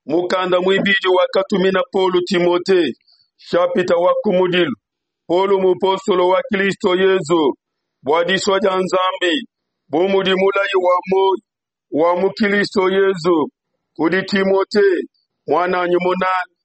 Mukanda muibidi wakatumina Paulo Timote, shapita wa kumudilu. Paulo mupostolo wa Kristo Yezu bua disua dia Nzambi, bu mudi mulayi wa muoyo wa mu Kristo Yezu kudi Timote muananyi munanga,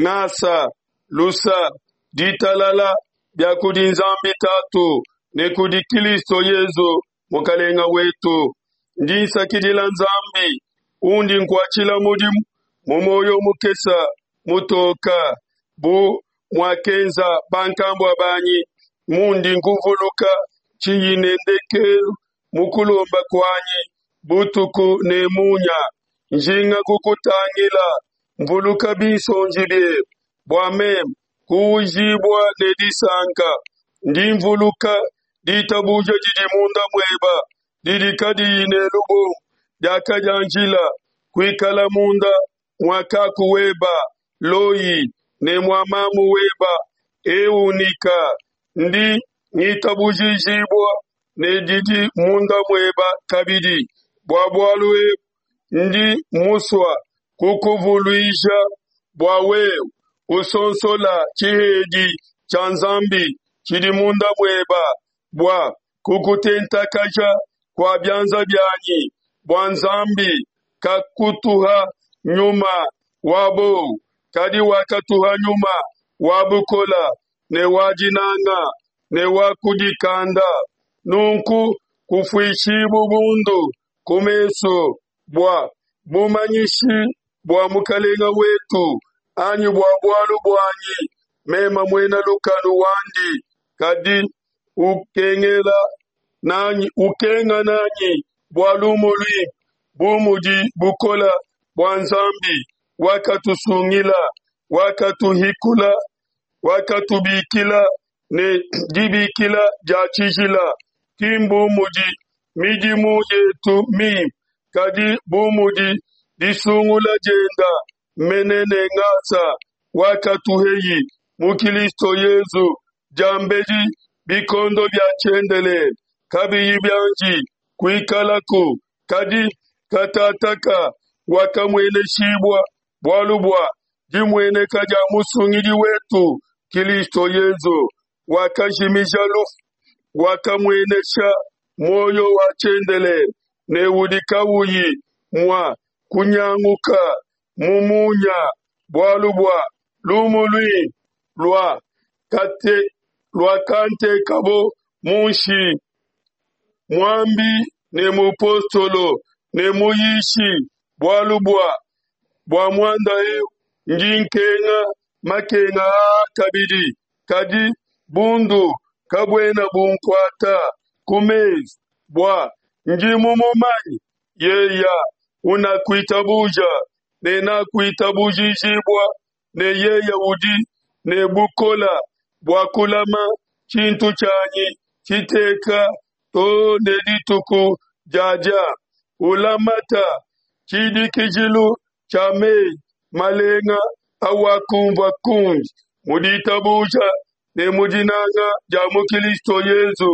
ngasa, lusa, ditalala bia kudi Nzambi Tatu ne kudi Kristo Yezu Mukalenga wetu. Ndi nsakidila Nzambi undi nkuatshila mudimu mu muoyo mukesa mutoka bu muakenza bankambua banyi, mundi nkuvuluka tshiyi ne ndekelu mu kulomba kuanyi butuku ne munya, njinga kukutangila, mvuluka binsonji biebe, bua meme kuujibua ne disanka. Ndi mvuluka ditabuja didi munda mueba didi kadiyi ne lubombo diakadianjila kuikala munda mua kaku weba Loyi ne mua mamu weba Eunika. Ndi ngitabujijibua ne didi munda mueba kabidi. Bua bualu ebu ndi musua kukuvuluija bua wewe usonsola tshihedi tshia Nzambi tshidi munda mueba bua kukutentakaja kua bianza bianyi, bua Nzambi kakutuha nyuma wa bowu, kadi wakatuha nyuma wa bukola ne wa dinanga ne wa kudikanda. Nunku kufuishibu bundu ku mesu bua bumanyishi bua Mukalenga wetu, anyi bua bualu buanyi meme muena lukanu wandi, kadi ukengela nanyi, ukenga nanyi bua lumu luimpe, bu mudi bukola bua Nzambi wakatusungila, wakatuhikula, wakatubikila ne dibikila dia tshijila, ki mbu mudi midimu yetu mimpe, kadi bu mudi disungula dienda mene ne ngasa wakatuheyi mu Kilisto Yezu diambedi bikondo bia tshiendelele kabiyi bianji kuikalaku, kadi katataka wakamueneshibua bualu bua dimueneka dia Musungidi wetu Kilisto Yezu, wakajimija lufu, wakamuenesha muoyo wa tshiendelele ne udi kawuyi mua kunyanguka mu munya, bualu bua lumu luimpe lua kate luakantekabo munshi, muambi ne mupostolo ne muyishi, bualu bua bua muanda eu ndi nkenga makenga aa kabidi, kadi bundu kabuena bunkuata ku mesu, bua ndi mumumanye yeya unakuitabuja ne nakuitabujijibua ne yeya udi ne bukola bua kulama tshintu tshianyi tshiteka too ne dituku diadia. Ulamata tshidikijilu tshia meyi malenga awakumvua kundi mu ditabuja ne mu dinanga dia mu Kilisto Yezu.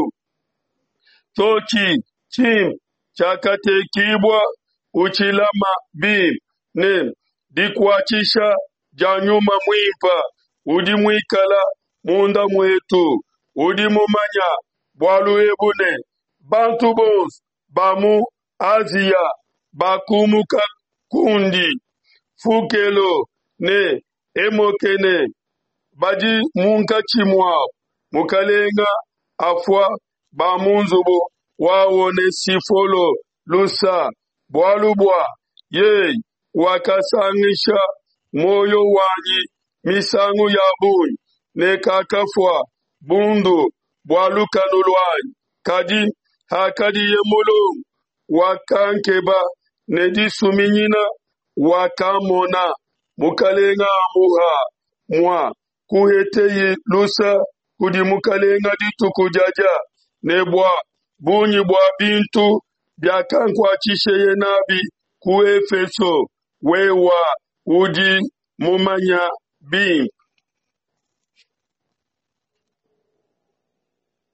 Tshiotshi tshimpe tshiakatekibua utshilama bimpe ne dikuatshisha dia Nyuma Muimpe udi muikala munda muetu. Udi mumanya bualu ebu ne, bantu bonso ba mu Asia bakumuka kundi, Fukelo ne Hemokene badi munkatshi muabu. Mukalenga afua ba mu nzubu wa Onesifolo lusa, bualu bua yeye wakasangisha muoyo wanyi misangu ya bungi ne kakafua bundu bua lukanu luanyi. Kadi hakadiye mulongo, wakankeba ne disuminyina, wakamona. Mukalenga amuha mua kuheteyi lusa kudi Mukalenga dituku diadia, ne bua bungi bua bintu biakankuatshisheye nabi ku Efeso, wewa udi mumanya bimpe.